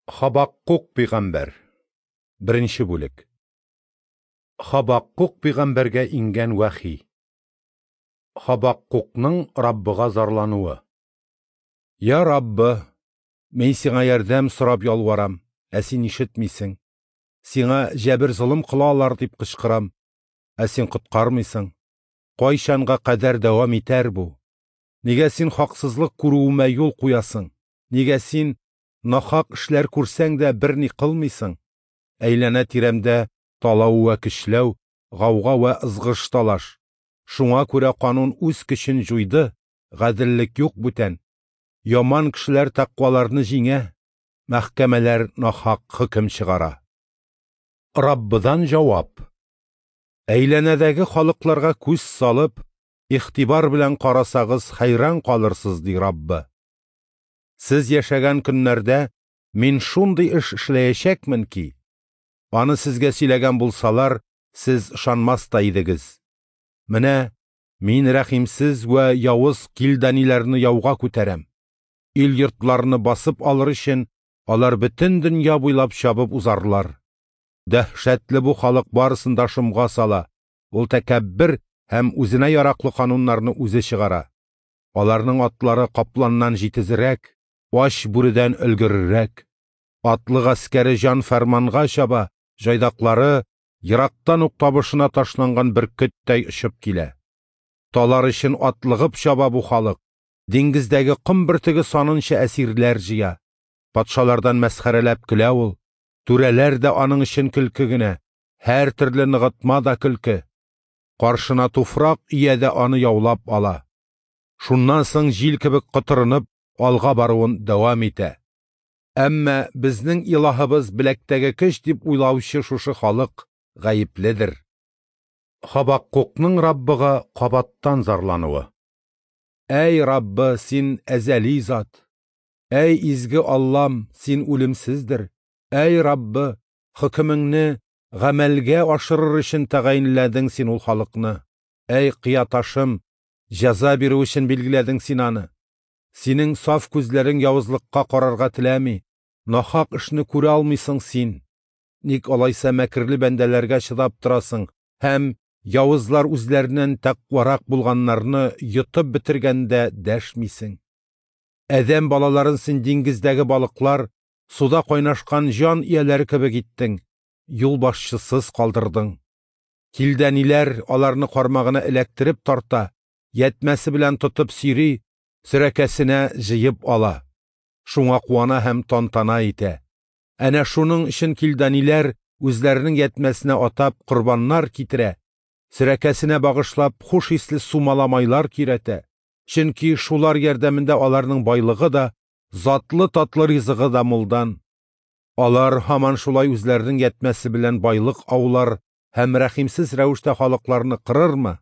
Хабаккук пәйгамбәр. Беренче бүлек. Хабаккук пәйгамбәргә иңгән вәхи. Хабаккукның Раббыга зарлануы. Я Раббы, мин сиңа ярдәм сорап ялварам, ә син ишетмисең. Сиңа җәбер-золым кылалар дип кычкырам, ә син коткармыйсың. Кайчанга кадәр дәвам итәр бу? Нигә син хаксызлык күрүемә юл куясың? Нигә син нахак эшләр күрсәң дә берни кылмыйсың? Әйләнә-тирәмдә талау вә көчләү, гауга вә ызгыш-талаш. Шуңа күрә канун үз көчен җуйды, гаделлек юк бүтән. Яман кешеләр тәкъваларны җиңә, мәхкәмәләр нахак хөкем чыгара. Раббыдан җавап. Әйләнәдәге халыкларга күз салып, игътибар белән карасагыз, хәйран калырсыз, ди Раббы. Сез яшәгән көннәрдә мин шундый эш эшләячәкмен ки, аны сезгә сөйләгән булсалар, сез ышанмас та идегез. Менә мин рәхимсез вә явыз килданиләрне яуга күтәрәм. Ил-йортларны басып алыр өчен алар бөтен дөнья буйлап чабып узарлар. Дәһшәтле бу халык барысын да шомга сала, ул тәкәббер һәм үзенә яраклы кануннарны үзе чыгара. Аларның атлары капланнан җитезрәк, ач бүредән өлгеррәк. Атлы гаскәре җан фәрманга чаба, җайдаклары ерактан ук табышына ташланган бөркеттәй очып килә. Талар өчен атлыгып чаба бу халык, диңгездәге ком бөртеге санынча әсирләр җыя. Патшалардан мәсхәрәләп көлә ул, түрәләр дә аның өчен көлке генә, һәр төрле ныгытма да көлке. Каршына туфрак ия дә аны яулап ала. Шуннан соң җил кебек котырынып, алга баруын дәвам итә. Әмма безнең илаһыбыз беләктәге көч дип уйлаучы шушы халык гаепледер. Хабаккукның Раббыга кабаттан зарлануы. Әй Раббы, син әзәли зат! Әй изге Аллам, син үлемсездер! Әй Раббы, хөкемеңне гамәлгә ашырыр өчен тәгаенләдең син ул халыкны. Әй кыяташым, җәза бирү өчен билгеләдең син аны. Синең саф күзләрең явызлыкка карарга теләми, нахак эшне күрә алмыйсың син. Ник алайса мәкерле бәндәләргә чыдап торасың һәм явызлар үзләреннән тәкъварак булганнарны йотып бетергәндә дәшмисең? Адәм балаларын син диңгездәге балыклар, суда кайнашкан җан ияләре кебек иттең, юлбашчысыз калдырдың. Килдәниләр аларны кармагына эләктереп тарта, ятмәсе белән тотып сөйри, сөрәкәсенә җыеп ала. Шуңа куана һәм тантана итә. Әнә шуның өчен килданиләр үзләренең ятмәсенә атап корбаннар китерә, сөрәкәсенә багышлап хуш исле сумаламайлар көйрәтә. Чөнки шулар ярдәмендә аларның байлыгы да, затлы татлы ризыгы да мулдан. Алар һаман шулай үзләренең ятмәсе белән байлык аулар һәм рәхимсез рәвештә халыкларны кырырмы?